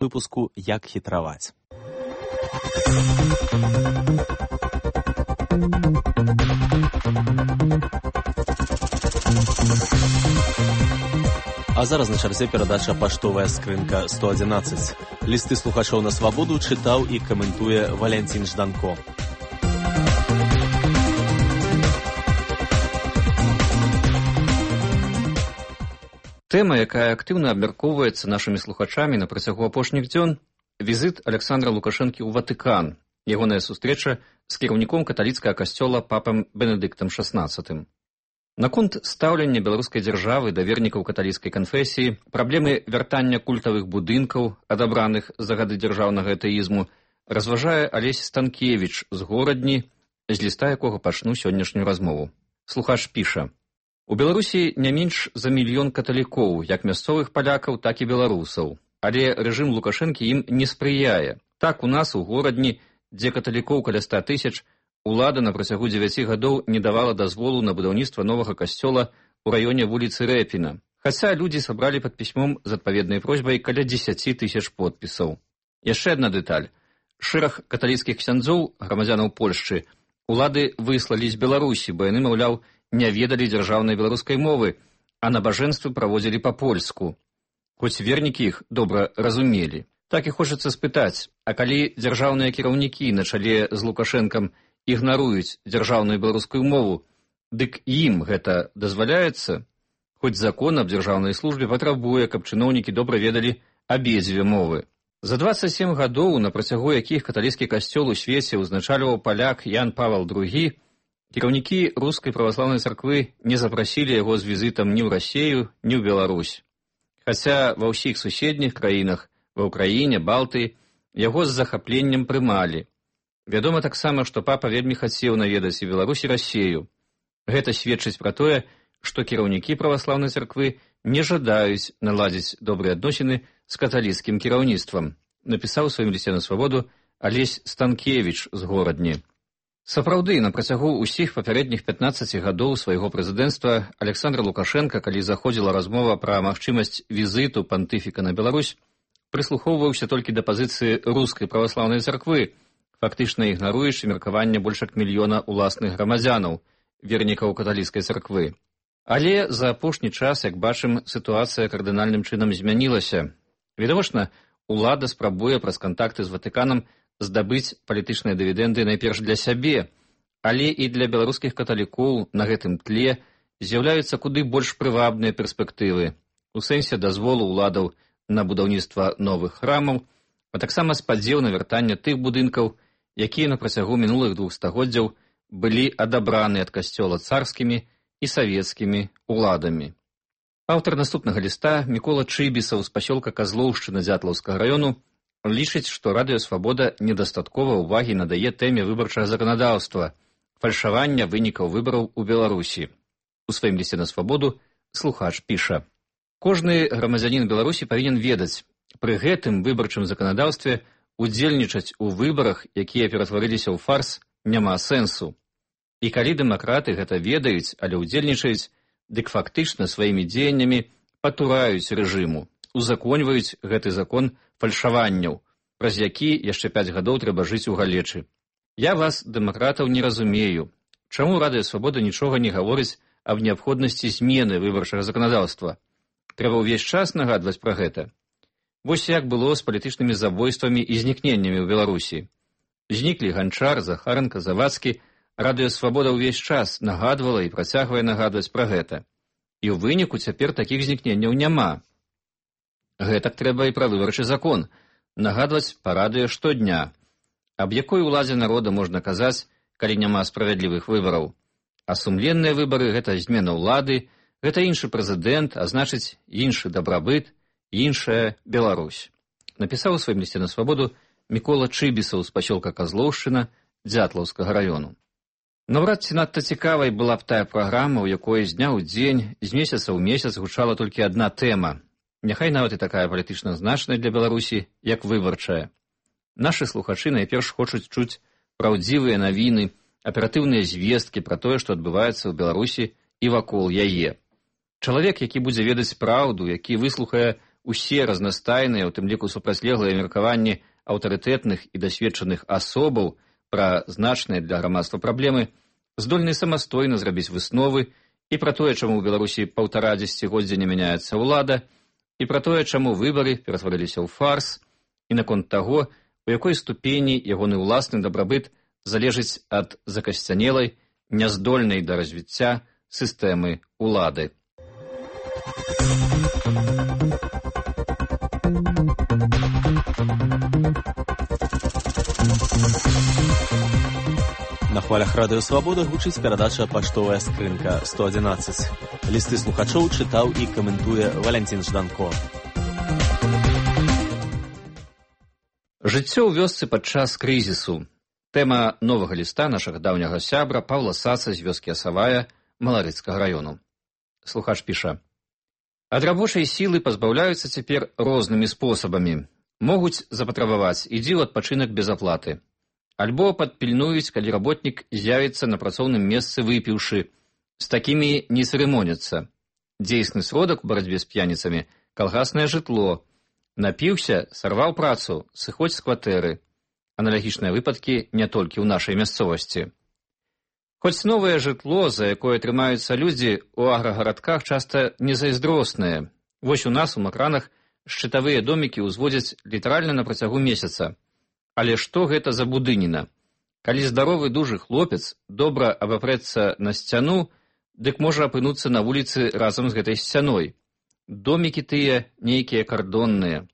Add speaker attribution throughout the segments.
Speaker 1: выпуску «Як хитровать». А зараз на чарзе перадача «Паштовая скрынка 111». Лісты слухачоў на свабоду чытаў і каментуе Валянцін Жданко.
Speaker 2: Тэма, якая актыўна абмяркоўваецца нашымі слухачамі на працягу апошніх дзён – візіт Александра Лукашэнкі ў Ватыкан, ягоная сустрэча з кіраўніком каталіцкага касцёла папам Бенедыктам XVI. Наконт стаўлення беларускай дзяржавы да вернікаў каталіцкай канфесіі, праблемы вяртання культавых будынкаў, адабраных за гады дзяржаўнага атэізму, разважае Алесь Станкевіч з Горадні, з ліста якога пачну сённяшнюю размову. Слухач піша: у Беларусі не менш за 1 мільён каталікоў, як мясцовых палякаў, так і беларусаў. Але рэжым Лукашэнкі ім не спрыяе. Так у нас у Горадні, дзе каталікоў каля 100 000, улада на працягу 9 гадоў не давала дазволу на будаўніцтва новага касцёла ў раёне вуліцы Рэпіна. Хаця людзі сабралі пад пісьмом з адпаведнай просьбай каля 10 000 подпісаў. Яшчэ адна дэталь. Шэраг каталіцкіх ксяндзоў, грамадзянаў Польшчы, улады выслалі з Беларусі, бо яны, маўляў, не ведалі дзяржаўнай беларускай мовы, а набажэнствы праводзілі па-польску. Хоць вернікі іх добра разумелі. Так і хочацца спытаць, а калі дзяржаўныя кіраўнікі на чале з Лукашэнкам ігнаруюць дзяржаўную беларускую мову, дык ім гэта дазваляецца? Хоць закон аб дзяржаўнай службе патрабуе, каб чыноўнікі добра ведалі абедзве мовы. За 27 гадоў, на працягу якіх каталіцкі касцёл у свеце ўзначальваў паляк Ян Павел II, кіраўнікі рускай праваслаўнай царквы не запрасілі яго з візітам ні ў Расею, ні ў Беларусь. Хаця ва ўсіх суседніх краінах, ва ўкраіне, Балтыі, яго з захапленнем прымалі. Вядома таксама, што папа вельмі хацеў наведаць і Беларусь, і Расею. Гэта сведчыць пра тое, што кіраўнікі праваслаўнай царквы не жадаюць наладзіць добрыя адносіны з каталіцкім кіраўніцтвам, напісаў у сваім лісце на свабоду Алесь Станкевіч з Горадні. Сапраўды, на працягу ўсіх папярэдніх 15 гадоў свайго прэзідэнцтва Александра Лукашэнка, калі заходзіла размова пра магчымасць візіту пантыфіка на Беларусь, прыслухоўваўся толькі да пазіцыі рускай праваслаўнай царквы, фактычна ігнаруючы меркаванне больш як 1 мільёна уласных грамадзянаў, вернікаў каталіцкай царквы. Але за апошні час, як бачым, сітуацыя кардынальным чынам змянілася. Відавочна, улада спрабуе праз кантакты з Ватыканам здабыць палітычныя дывідэнды найперш для сябе, але і для беларускіх каталікоў на гэтым тле з'яўляюцца куды больш прывабныя перспектывы у сэнсе дазволу ўладаў на будаўніцтва новых храмаў, а таксама спадзеў на вяртанне тых будынкаў, якія на працягу мінулых 2 стагоддзяў былі адабраны ад касцёла царскімі і савецкімі уладамі. Аўтар наступнага ліста, Мікола Чыбісаў з пасёлка Казлоўшчына Дзятлаўскага раёну, лічыць, што Радыё Свабода недастаткова ўвагі надае тэме выбарчага заканадаўства, фальшавання вынікаў выбараў у Беларусі. У сваім лісце на свабоду слухач піша: кожны грамадзянін Беларусі павінен ведаць, пры гэтым выбарчым заканадаўстве удзельнічаць у выбарах, якія ператварыліся ў фарс, няма сэнсу. І калі дэмакраты гэта ведаюць, але ўдзельнічаюць, дык фактычна сваімі дзеяннямі патураюць рэжыму, узаконьваюць гэты закон фальшаванняў, праз які яшчэ 5 гадоў трэба жыць у галечы. Я вас, дэмакратаў, не разумею. Чаму Радыё Свабода нічога не гаворыць аб неабходнасці змены выбарчага заканадаўства? Трэба ўвесь час нагадваць пра гэта. Вось як было з палітычнымі забойствамі і знікненнямі ў Беларусі. Зніклі Ганчар, Захаренка, Завадскі. Радыё Свабода ўвесь час нагадвала і працягвае нагадваць пра гэта. І ў выніку цяпер такіх знікненняў няма. Гэтак трэба і пра выбарчы закон, нагадваць па радыё штодня. Аб якой уладзе народа можна казаць, калі няма справядлівых выбараў? А сумленныя выбары – гэта змена ўлады, гэта іншы прэзідэнт, а значыць іншы дабрабыт, іншая Беларусь. Напісаў у сваім лісце на свабоду Мікола Чыбісаў з пасёлка Казлоўшчына Дзятлаўскага раёну. Наўрад ці надта цікавай была б тая праграма, у якой з дня ў дзень, з месяца ў месяц гучала толькі адна тэма. Няхай нават і такая палітычна значная для Беларусі, як выбарчая. Нашы слухачы найперш хочуць чуць праўдзівыя навіны, аператыўныя звесткі пра тое, што адбываецца ў Беларусі і вакол яе. Чалавек, які будзе ведаць праўду, які выслухае усе разнастайныя, у тым ліку супрацьлеглыя меркаванні аўтарытэтных і дасведчаных асобаў пра значныя для грамадства праблемы, здольны самастойна зрабіць высновы і пра тое, чаму ў Беларусі 1,5 дзесяцігоддзя не мяняецца ўлада, і пра тое, чаму выбары ператварыліся ў фарс, і наконт таго, у якой ступені ягоны ўласны дабрабыт залежыць ад закасцянелай, няздольнай да развіцця сістэмы ўлады.
Speaker 1: На хвалях Радыё Свабода гучыць перадача «Паштовая скрынка 111». Лісты слухачоў чытаў і каментуе Валянцін Жданко.
Speaker 2: Жыццё ў вёсцы падчас крызісу. Тэма новага ліста нашага даўняга сябра Паўла Саца з вёскі Асавая Маларыцкага раёну. Слухач піша: «Ад рабочай сілы пазбаўляюцца цяпер рознымі спосабамі. Могуць запатрабаваць «ідзі ў адпачынак без аплаты». Альбо падпільнуюць, калі работнік з'явіцца на працоўным месцы выпіўшы. З такімі не цырымоняцца. Дзейсны сродак у барацьбе з п'яніцамі – калгаснае жытло. Напіўся, сарваў працу, сыходзь з кватэры. Аналагічныя выпадкі не толькі ў нашай мясцовасці. Хоць новае жытло, за якое трымаюцца людзі, у аграгарадках часта незайздроснае. Вось у нас у Макранах шчытавыя домікі ўзводзяць літаральна на працягу месяца. Але што гэта за будыніна? Калі здаровы дужы хлопец добра абапрэцца на сцяну, дык можа апынуцца на вуліцы разам з гэтай сцяной. Домікі тыя нейкія кардонныя.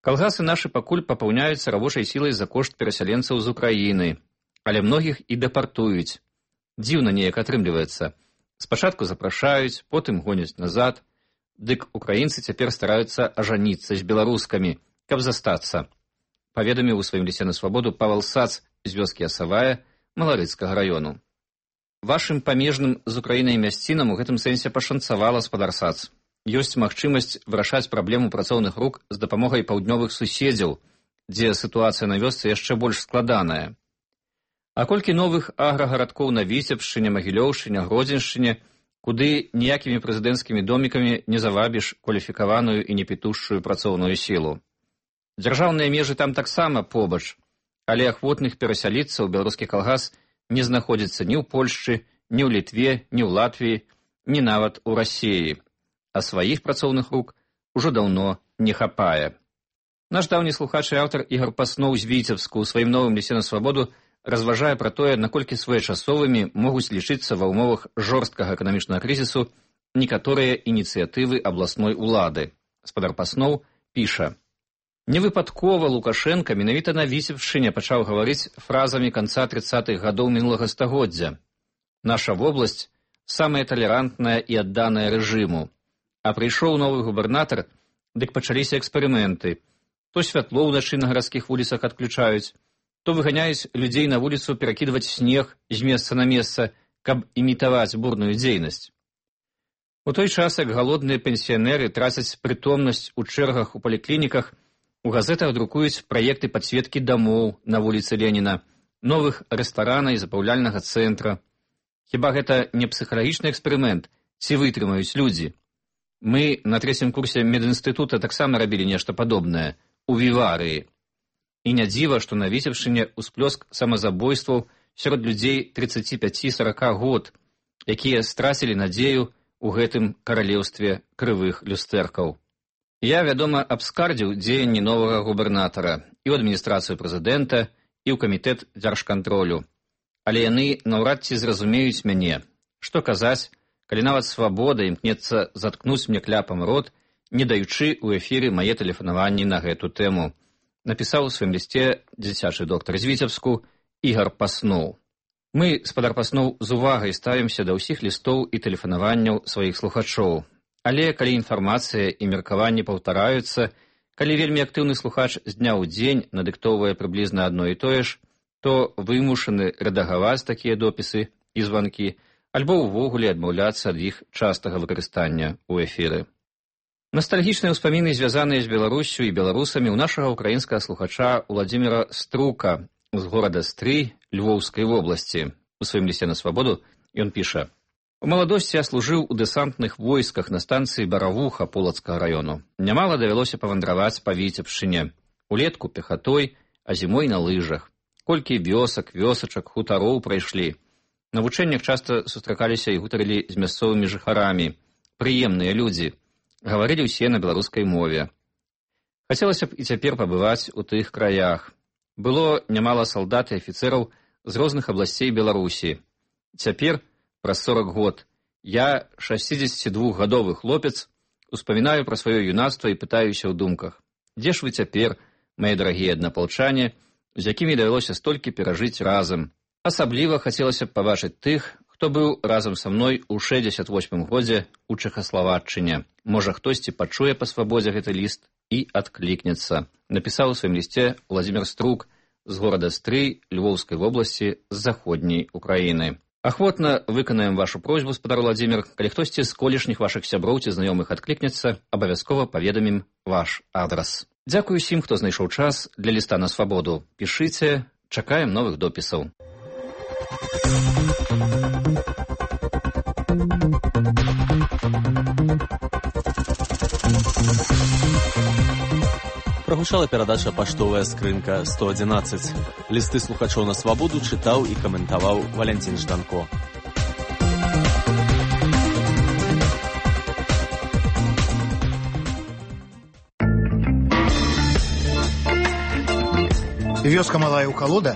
Speaker 2: Калгасы нашы пакуль папаўняюцца рабочай сілай за кошт перасяленцаў з Украіны, але многіх і дэпартуюць. Дзіўна неяк атрымліваецца. Спачатку запрашаюць, потым гоняць назад. Дык украінцы цяпер стараюцца ажаніцца з беларускамі, каб застацца. Паведаміў у сваім лісце на свабоду Павел Сац з вёскі Асавая Маларыцкага раёну. Вашым памежным з Украінай мясцінам у гэтым сэнсе пашанцавала, спадар Сац. Ёсць магчымасць вырашаць праблему працоўных рук з дапамогай паўднёвых суседзяў, дзе сітуацыя на вёсцы яшчэ больш складаная. А колькі новых аграгарадкоў на Віцебшчыне, Магілёўшчыне, Гродзеншчыне, куды ніякімі прэзідэнцкімі домікамі не завабіш кваліфікаваную і непітушчую працоўную сілу. Дзяржаўныя межы там таксама побач, але ахвотных перасяліцца ў беларускі калгас не знаходзіцца ні ў Польшчы, ні ў Літве, ні ў Латвіі, ні нават у Расіі, а сваіх працоўных рук ужо даўно не хапае. Наш даўні слухач і аўтар Ігар Пасноў з Віцебску ў сваім новым лісце на свабоду разважае пра тое, наколькі своечасовымі могуць лічыцца ва ўмовах жорсткага эканамічнага крызісу некаторыя ініцыятывы абласной улады. Спадар Пасноў піша: «Невыпадкова Лукашенка менавіта на Віцебшчыне пачаў гаварыць фразамі канца 30-х гадоў мінулага стагоддзя. Наша вобласць самая талерантная і адданая рэжыму. А прыйшоў новы губернатар, дык пачаліся эксперыменты. То святло ўначы на гарадскіх вуліцах адключаюць, то выганяюць людзей на вуліцу перакідваць снег з месца на месца, каб імітаваць бурную дзейнасць. У той час, як галодныя пенсіянеры трацяць прытомнасць у чэргах у паліклініках, у газетах друкуюць праекты падсветкі дамоў на вуліцы Леніна, новых рэстарана і забаўляльнага цэнтра. Хіба гэта не псіхалагічны эксперымент, ці вытрымаюць людзі? Мы на 3-м курсе медінстытута таксама рабілі нешта падобнае, у Віварыі. І не дзіва, што на Віцебшчыне ўсплёск самазабойстваў сярод людзей 35-40 год, якія страцілі надзею ў гэтым каралеўстве крывых люстэркаў. Я, вядома, абскардзіў дзеянні новага губернатара і ў адміністрацыю прэзідэнта, і ў камітэт дзяржкантролю. Але яны наўрад ці зразумеюць мяне. Што казаць, калі нават свабода імкнецца заткнуць мне кляпам рот, не даючы ў эфіры мае тэлефанаванні на гэту тэму. Напісаў у сваім лісце дзіцячы доктар з Віцебску Ігар Пасноў. Мы, спадар Пасноў, з увагай ставімся да ўсіх лістоў і тэлефанаванняў сваіх слухачоў. Але калі інфармацыя і меркаванні паўтараюцца, калі вельмі актыўны слухач з дня ў дзень надыктоўвае прыблізна адно і тое ж, то вымушаны рэдагаваць такія допісы і званкі, альбо ўвогуле адмаўляцца ад іх частага выкарыстання ў эфіры. Настальгічныя ўспаміны, звязаныя з Беларусю і беларусамі, у нашага украінскага слухача Уладзіміра Струка з горада Стрый Львоўскай вобласці. У сваім лісце на свабоду ён піша: У маладосці я служыў у дэсантных войсках на станцыі Баравуха Полацкага раёну. Нямала давялося павандраваць па Віцебшчыне. Улетку пехатой, а зімой на лыжах. Колькі вёсак, вёсачак, хутароў прайшлі. На вучэннях часта сустракаліся і гутарылі з мясцовымі жыхарамі. Прыемныя людзі. Гаварылі ўсе на беларускай мове. Хацелася б і цяпер пабываць у тых краях. Было нямала салдат і афіцэраў з розных абласцей Беларусі. Цяпер, праз 40 год, я, 62-гадовы хлопец, успамінаю пра сваё юнацтва і пытаюся ў думках. Дзе ж вы цяпер, мае дарагія аднапалчане, з якімі давялося столькі перажыць разам? Асабліва хацелася б пабачыць тых, хто быў разам са мной у 68 годзе ў Чэхаславаччыне. Можа, хтосьці пачуе па свабодзе гэты ліст і адклікнецца. Напісаў у сваім лісце Владзімір Струк з горада Стрый Львоўскай вобласці з заходняй Украіны. Ахвотна выканаем вашу просьбу, спадар Владзімір. Калі хтосьці з колішніх вашых сяброў ці знаёмых адклікнецца, абавязкова паведамім ваш адрас. Дзякую усім, хто знайшоў час для ліста на свабоду. Пішыце, чакаем новых допісаў.
Speaker 1: Прагучала перадача «Паштовая скрынка 111». Лісты слухачоў на свабоду чытаў і каментаваў Валянцін Жданко.
Speaker 3: Вёска малая ў Калода